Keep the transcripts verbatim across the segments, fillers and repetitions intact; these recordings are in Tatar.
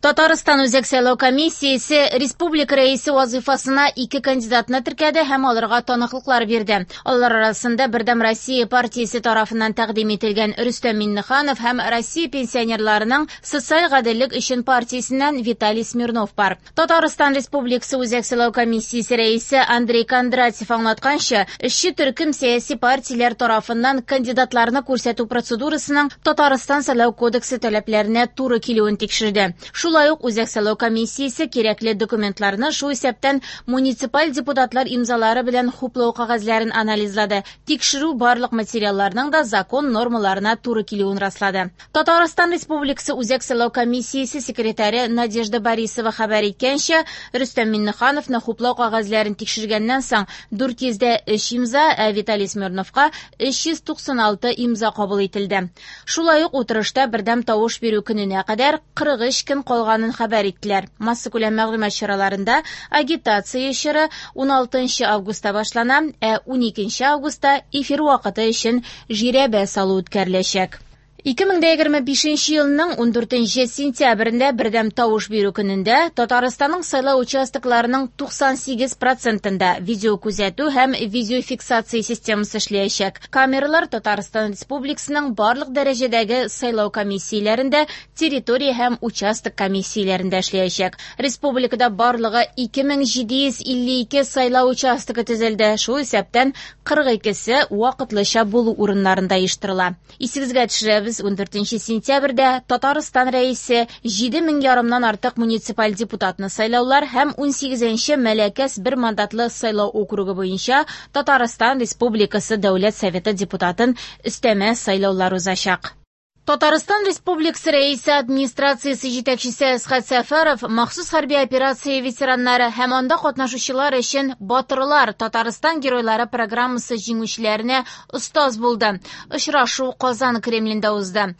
Татарстан Үзәк сайлау комиссиясе республика рәисе вазифасына ике кандидатны теркәде һәм аларга таныклыклар бирде. Алар арасында Бердәм Россия партиясе тарафыннан тәкъдим ителгән Рөстәм Миңнеханов һәм Россия пенсионерларының социаль гаделлек өчен партиясеннән Виталий Смирнов бар. Татарстан Республикасы Үзәк сайлау комиссиясе рәисе Андрей Кондратьев аңлатканча, эшче төркем сәяси партияләр тарафыннан кандидатларны күрсәтү процедурасының Татарстан сайлау кодексы таләпләренә туры килүен тикшерде. Шулай ук Үзәк сайлау комиссиясе кирәкле документларны, шул исәптән муниципаль депутатлар имзалары белән хуплау кәгазьләрен анализлады. Тикшерү барлык материалларның да закон нормаларына туры килүен раслады. Татарстан Республикасы Үзәк сайлау комиссиясе секретаре Надежда Борисова хәбәр иткәнчә, Рөстәм Миңнехановны хуплау кәгазьләрен тикшергәннән соң дүрт йөз дә өч имза, ә Виталий Смирновка өч йөз туксан алты имза кабул ителде. Шулай ук утырышта бердәм тавыш бирү көненә кадәр кырык өч көн калганын хәбәр иттеләр. Массакүләм мәгълүмат чараларында агитация чоры уналтынчы августта башлана, ә уникенче августта эфир вакыты өчен жирәбә салу үткәреләчәк. Ике мең дә егерме бишенче елның ундүртенче сентябрендә бердәм тавыш бирү көнендә Татарстанның сайлау участокларының туксан сигез процентында видеокүзәтү һәм видеофиксация системасы эшләячәк. Камералар Татарстан Республикасының барлык дәрәҗәдәге сайлау комиссияләрендә, территория һәм участок комиссияләрендә эшләячәк. Республикада барлыгы ике мең җиде йөз илле ике сайлау участогы төзелде. Шул исәптән кырык икесе вакытлыча булу урыннарында оештырыла. Исегезгә төшерәбез, ундүртенче сентябрьдә Татарстан рәисе җиде мең ярымнан артык муниципаль депутатны сайлаулар һәм унсигезенче Мәләкәс бер мандатлы сайлау округы буенча Татарстан Республикасы Дәүләт Советы депутатын өстәмә сайлаулар узачак. Татарстан Республикасы рәисе администрациясе җитәкчесе Әсхәт Сәфәров махсус хәрби операция ветераннары һәм анда катнашучылар өчен Батырлар Татарстан геройлары программасы җиңүчеләренә остаз булды. Очрашу Казан Кремлендә узды.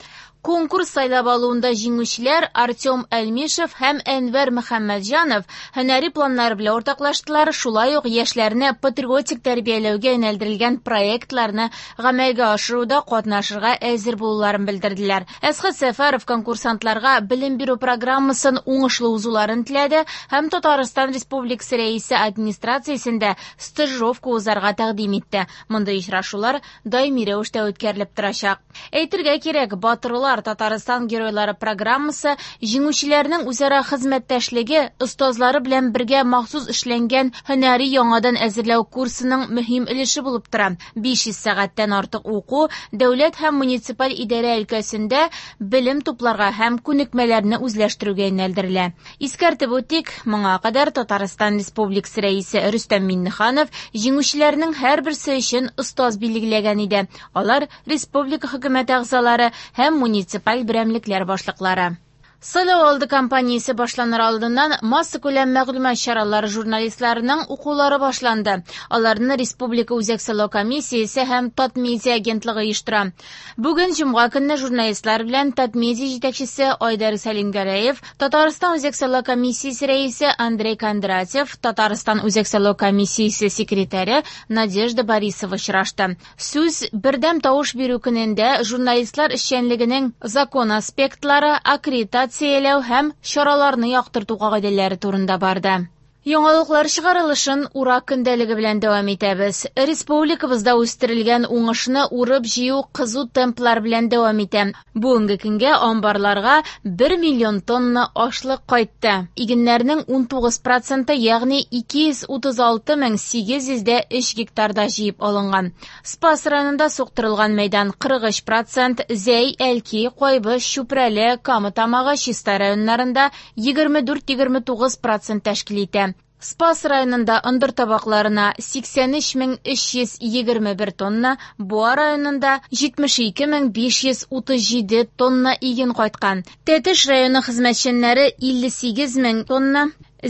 Конкурс сайлап алуында җиңүчеләр Артем Әлмишев һәм Әнвәр Мөхәммәтҗанов һөнәри планнары белән уртаклаштылар, шулай ук яшьләрне патриотик тәрбияләүгә юнәлдерелгән проектларны гамәлгә ашыруда катнашырга әзер булуларын белдерделәр. Әсхәт Сәфәров конкурсантларга белем бирү программасын уңышлы узуларын теләде һәм Татарстан Республикасы рәисе администрациясендә стажировка узарга тәкъдим итте. Мондый очрашулар даими рәвештә үткәрелеп торачак. Әйтергә кирәк, Батырлар Татарстан геройлары программасы җиңүчеләрнең үзара хезмәттәшлеге остазлары белән бергә махсус эшләнгән һөнәри яңадан әзерләү курсының мөһим өлеше булып тора. биш йөз сәгатьтән артык уку дәүләт һәм муниципаль идарә өлкәсендә белем тупларга һәм күнекмәләрне үзләштерүгә юнәлдерелә. Искәртеп үтик, моңа кадәр Татарстан Республикасы рәисе Рөстәм Миңнеханов җиңүчеләрнең һәрберсе өчен остаз билгеләгән иде. Алар республика хөкүмәте әгъзалары һәм муниципаль берәмлекләр башлыклары. Сайлау алды кампаниясе башланыр алдыннан массакүләм мәгълүмат чаралары журналистларының укулары башланды. Аларны Республика Үзәк сайлау комиссиясе һәм Татмедиа агентлыгы оештыра. Бүген җомга көнне журналистлар белән Татмедиа җитәкчесе Айдар Сәлимгәрәев, Татарстан Үзәк сайлау комиссиясе рәисе Андрей Кондратьев, Татарстан Үзәк сайлау комиссиясе секретаре Надежда Борисова очрашты. Сүз бердәм тавыш бирү көнендә журналистлар эшчәнлегенең закон аспектлары, аккредитация һәм чараларны яктырту кагыйдәләре турында барды. Яңалыклар чыгарылышын урак көндәлеге белән дәвам итәбез. Республикабызда үстерелгән уңышны урып җыю кызу темплар белән дәвам итә. Бүгенге көнгә амбарларга бер миллион тонна ашлык кайтты. Игеннәрнең унтугыз проценты, ягъни ике йөз утыз алты мең сигез йөз дә өч гектарда җыеп алынган. Спас районында суктырылган мәйдан кырык өч процент, Зәй, Әлки, Кайбыч, Чүпрәле, Кама Тамагы, Чистай районнарында егерме дүрт-егерме тугыз процент тәшкил итә. Спас районында ындыр табакларына сиксән өч мең өч йөз егерме бер тонна, Буа районында җитмеш ике мең биш йөз утыз җиде тонна иген кайткан. Тәтеш районы хезмәтчәннәре илле сигез мең тонна,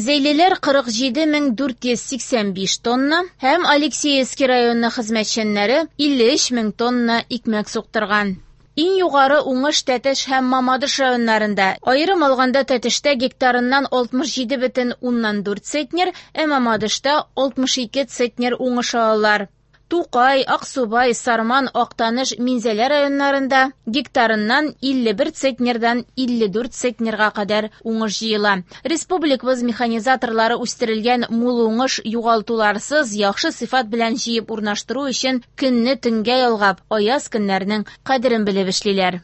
Зәйлеләр кырык җиде мең дүрт йөз сиксән биш тонна һәм Алексеевский районы хезмәтчәннәре илле өч мең тонна икмәк суктырган. Иң югары уңыш Тәтеш һәм Мамадыш районнарында. Аерым алганда Тәтештә гектарыннан алтмыш җиде бөтен уннан дүрт центнер, ә Мамадышта алтмыш ике центнер уңыш алалар. Тукай, Аксубай, Сарман, Актаныш, Минзәлә районнарында гектарыннан илле бер центнердан илле дүрт центнерга кадәр уңыш җыела. Республикабыз механизаторлары үстерелгән мул уңыш югалтуларсыз яхшы сыйфат белән җыеп урнаштыру өчен көнне төнгә ялгап, аяз көннәрнең кадерен белеп эшлиләр.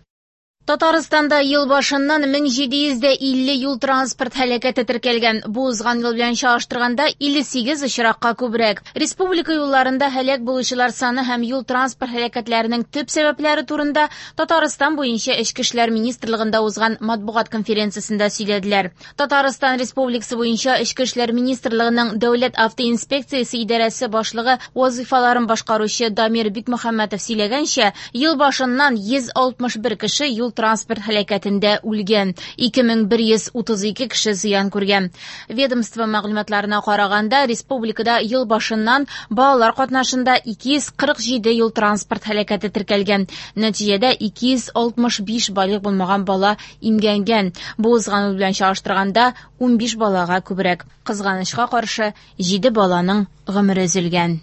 Татарстанда ел башыннан мең җиде йөз дә илле юл транспорт һәлакәте теркәлгән. Бу узган ел белән чагыштырганда илле сигез очракка күбрәк. Республика юлларында һәлак булучылар саны һәм юл транспорт һәлакәтләренең төп сәбәпләре турында Татарстан буенча Эчке эшләр министрлыгында узган матбугат конференциясендә сөйләделәр. Татарстан Республикасы буенча Эчке эшләр министрлыгының Дәүләт автоинспекциясе идарәсе башлыгы вазифаларын башкаручы Дамир Бикмөхәммәтов сөйләгәнчә, ел башыннан йөз алтмыш бер кеше юл транспорт һәлакәтендә үлгән, ике мең бер йөз утыз ике кеше зыян күргән. Ведомство мәгълүматларына караганда, республикада ел башыннан балалар катнашында ике йөз кырык җиде юл транспорт һәлакәте теркәлгән. Нәтиҗәдә ике йөз алтмыш биш балигъ булмаган бала имгәнгән. Бу узган ел белән чагыштырганда унбиш балага күбрәк. Кызганычка каршы, җиде баланың гомере өзелгән.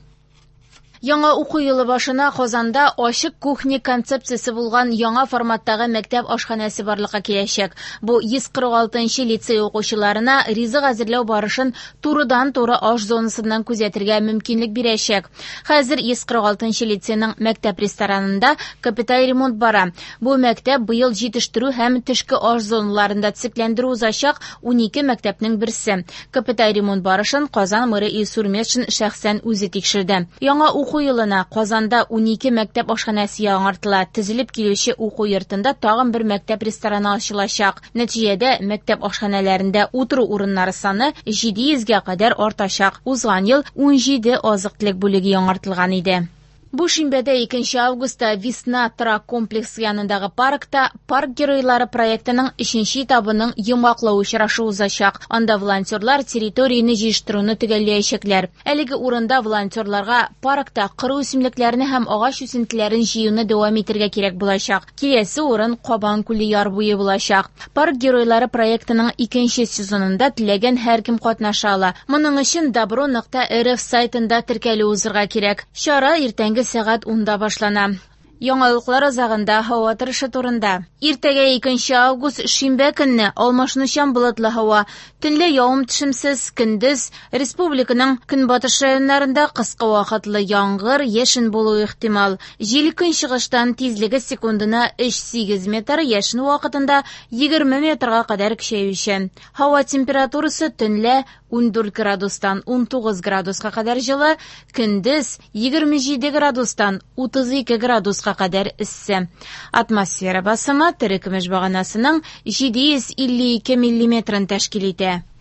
Яңа уку елы башына Казанда ачык кухня концепциясе булган яңа форматтагы мәктәп ашханәсе барлыкка киләчәк. Бу йөз кырык алтынчы лицей укучыларына ризык әзерләү барышын турыдан-туры аш зонасыннан күзәтергә мөмкинлек бирәчәк. Хәзер йөз кырык алтынчы лицейның мәктәп ресторанында капиталь ремонт бара. Бу мәктәп быел җитештерү һәм төшке аш зоналарында төзекләндерү узачак унике мәктәпнең берсе. Капиталь ремонт барышын Казан мэры Илсур Метшин шәхсән үзе тикшерде. Яңа уку елына Казанда унике мәктәп ашханәсе яңартыла. Төзелеп килүче уку йортында тагын бер мәктәп рестораны ачылачак. Нәтиҗәдә мәктәп ашханәләрендә утыру урыннары саны җиде йөзгә кадәр артачак. Узган ел унҗиде азык-төлек бүлеге яңартылган иде. Бу шимбәдә икенче августта Весна торак комплексы янындагы паркта Парк геройлары проектының өченче этабының йомгаклау очрашу узачак. Анда волонтерлар территорияне җыештыруны төгәлләячәкләр. Әлеге урында волонтерларга паркта коры үсемлекләрне һәм агач үсентеләрен җыюны дәвам итәргә кирәк булачак. Киләсе урын Кабан күле яр буе булачак. Парк геройлары проектының икенче сезонында теләгән һәркем катнаша ала. Моның өчен добро нокта рф сайтында теркәлү узырга кирәк. Чара иртәнге сәгать унда башлана. Яңалыклар азагында һава торышы турында. Иртәгә икенче август шимбә көнне алмашынучан болытлы һава. Төнлә явым-төшемсез, көндез республиканың көнбатыш районнарында кыска вакытлы яңгыр, яшен булуы ихтимал. Җил көнчыгыштан тизлеге секундына өч сигез метр, яшен вакытында егерме метрга кадәр көчәючән. Һава температурасы төнлә ундүрт градустан унтугыз градуска кадәр җылы, көндез егерме җиде градустан утыз ике градуска кадәр эссе. Атмосфера басымы терекөмеш баганасының җиде йөз илле ике миллиметрын тәшкил итә.